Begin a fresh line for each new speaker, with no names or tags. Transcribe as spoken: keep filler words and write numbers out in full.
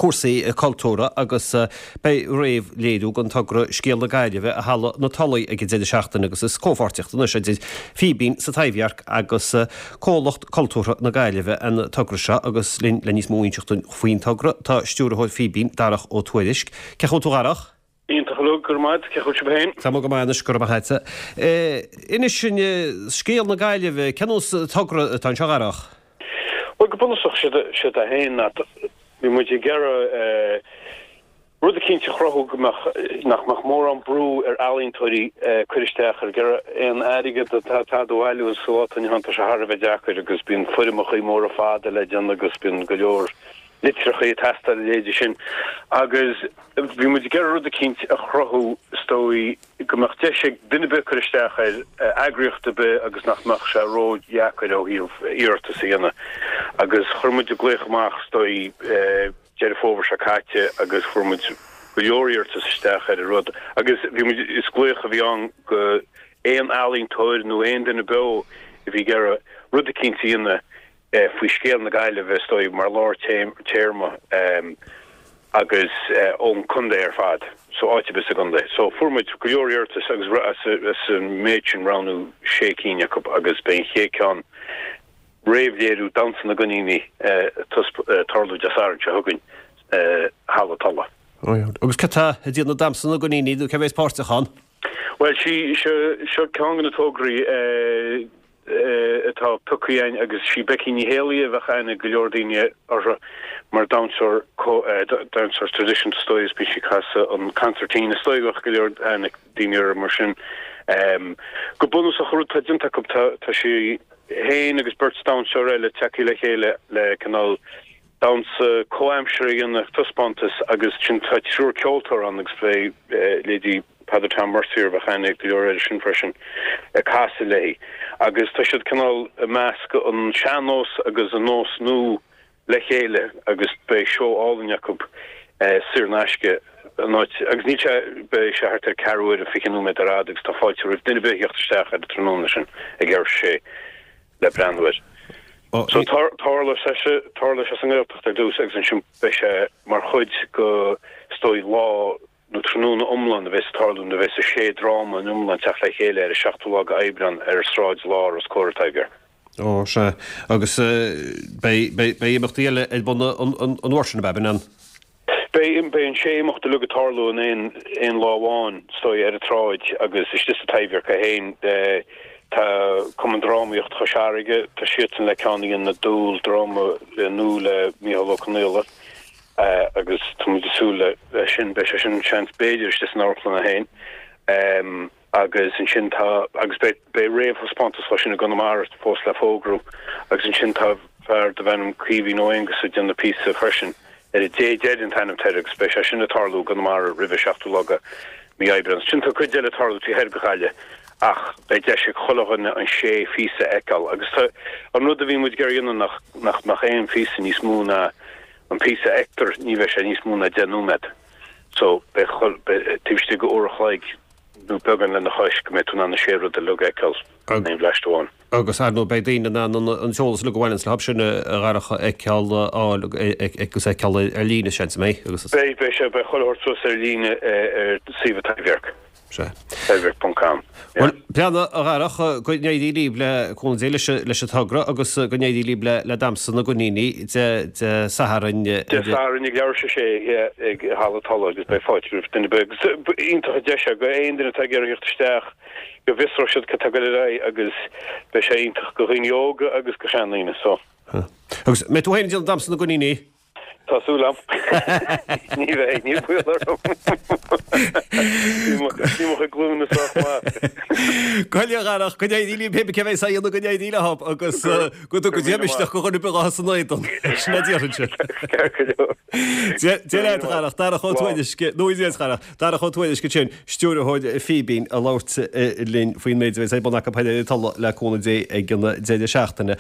cúrsaí cultúrtha agus beidh réamhléiriú den togra Scéal na Gaillimhe i Halla na Tulaí ag an deireadh seachtaine agus is comhpháirtíocht anois idir Fíbín sa Taibhdhearc agus Comhlacht Cultúrtha na Gaillimhe an togra seo agus linn le níos mó a inseacht faoin togra tá stiúrthóir Fíbín Darach Ó Tuairisg. Cén chaoi a bhfuil tú a Dharach?
Iontach go go maith cén chaoi féin.
Tá go maith anois go raibh maith agat. Inis dúinn Scéal na Gaillimhe cén nós togra atá anseo a Dharach?
Well go bunúsach sé a haon bhí muid ag iarraidh rud eicínt a chruthú go mbeadh nach mbeadh mórán brú ar ealaíontóirí cur isteach ar aon airgead atá á bhailiú sa lá atá inniu ann tá sé thar a bheith deacair agus bíonn foirmeacha móra fada le déanamh agus bíonn go leor litreacha ag teastáil a leithéidí sin agus bhí muid ag iarraidh rud eicínt a chruthú is dóigh go mbeadh deis ag duine ar bith cur isteach ar eagraíocht ar bith agus nach mbeadh sé ródheacair ó thaobh iarratas a dhéanamh agus chuir muid glaoch amach is dóigh Deireadh Fómhair seo caite agus fuair muid go leor iarratas isteach ar an rud agus bhí muid is glaoch a bhí ann go aon ealaíontóir nó aon duine beo a bhí ag iarraidh rud eicínt a dhéanamh faoi scéal na Gaillimhe is dóigh mar lár téarma agus ón contae ar fad so áit ar bith sa gcontae. So fuair muid go leor iarratas agus as an méid sin roghnú sé cinn acu agus beidh an chéad ceann réamhléiriú Damhsa na gCoiníní tarlú Dé Sathairn seo chugainn Halla Tola.
Agus cé atá ag déanamh Damhsa na gCoiníní nó cé bheas páirteach ann?
Well sí seo ceann de na tograí atá pioctha againn agus sí Becky Ní Héalaí a bheadh aithne go leor daoine uirthi mar damhsóir damhsóir traidisiúnta is dóigh is bíonn sí ag casadh an concertina is dóigh go bheadh go leor aithne daoine uirthi mar sin. Go bunúsach an rud atá déanta acu tá sí féin agus beirt damhsóir eile tagtha le chéile le cineál damhsa comhaimseartha a dhéanamh taispeántas agus sin tá triúr ceoltóir ann agus beidh leithéidí Peadar Tom Mercier bheadh aithne ag go leor air sin freisin ag casadh léi agus tá siad cineál ag meascadh an sean-nós agus an nós nua le chéile agus beidh seó álainn acu saor in aisce an áit agus níl sé beidh sé thart ar ceathrú uaire fiche nóiméad ar fhad agus tá fáilte roimh duine ar bith a theacht isteach ar an tráthnóna sin ag leathuair tar éis a sé le breathnú air. So tarlóidh sé tarlóidh sé sa nGaeltacht ar dtús agus ansin beidh sé mar chuid de is dóigh lá nó tráthnóna iomlán a bheas ag tarlú nuair a bheas sé dráma in iomlán teacht le chéile ar an seachtú lá de Aibreán ar Sráid Láir os comhair an Taibhdhearc.
Ó, sea. Agus beidh beidh imeachtaí eile ar bun an uair sin, ab ea, an?
Beidh beidh an sé imeacht uilig ag tarlú in aon aon lá amháin, is dóigh, ar an tsráid agus istigh sa Taibhdhearc é féin. Tá Cumann Drámaíocht Chois Fharraige, tá siadsan le ceann a dhéanamh, Dúil, dráma nua le Micheál Ó Conaola. Agus tá muid ag súil le sin, beidh sé sin seans b'fhéidir istigh san amharclann é féin. Agus ansin tá, agus beidh, beidh réamhthaispeántas dhó sin i gConamara fós le fógrú. Agus ansin tá fear darbh ainm Caoimhín Ó Aonghusa ag déanamh píosa freisin ar an Dé Deiridh an t-ainm atá air agus beidh sé sin ag tarlú i gConamara roimh an seachtú lá de mhí Aibreán. Ansin tá cuid eile ag tarlú taobh thoir de Ghaillimh ach beidh deis ag chuile dhuine an sé phíosa a fheiceáil. Agus tá, an rud a bhí muid ag iarraidh a dhéanamh nach, nach mbeadh aon phíosa níos mó ná An píosa a fheictear, ní bheidh sé níos mó ná deich nóiméad. So, beidh, taobh istigh de uair a chloig nó beagán lena chois go mbeidh tú in ann na sé rud uilig a fheiceáil in aon bhleaist amháin.
Agus, ar ndóigh, beidh daoine in ann an t-eolas uilig a bhaineanns leo sin a Dharach a fheiceáil, a fháil agus a fheiceáil ar líne, seans, an mbeidh?
Agus. Beidh, beidh sé, beidh chuile shórt suas ar líne ar suíomh an Taibhdhearc.
Sea.
Taibhdhearc ponc com.
Bhuel, breathnaigh, a Dharach, go n-éirí libh le cúnamh Dé leis leis an togra agus go n-éirí libh le le Damhsa na gCoiníní Dé Dé Sathairn.
Dé Sathairn ag leathuair tar éis a sé ag Halla Tola agus beidh fáilte roimh duine ar bith agus iontach an deis é go aon duine atá ag iarraidh theacht isteach go bhfiosróidh siad cad tá ag dul ar aghaidh agus beidh sé iontach go dhaoine óga agus go seandaoine so.
Agus mbeidh tú féin ag déanamh Damhsa na gCoiníní?
Tá súil agam. Ní bheidh, níl baol orm. Níl mo chuid glúine sách maith.
Go a Dharach, go n-éirí libh pé cé bheas á dhéanamh go n-éirí leo agus go dtuga Dia misneach go dhuine ar bith atá san éadan. Sin a déarfainnse.
Ceart go leor.
Dia leat a Dharach, Darach Ó Tuairisg, nó Dia leat a Dharach, Darach Ó Tuairisg ansin, stiúrthóir Fíbín ag labhairt linn faoin méid a bheas ar bun acu ar an Tulaigh le cúnamh Dé ag an deireadh seachtaine.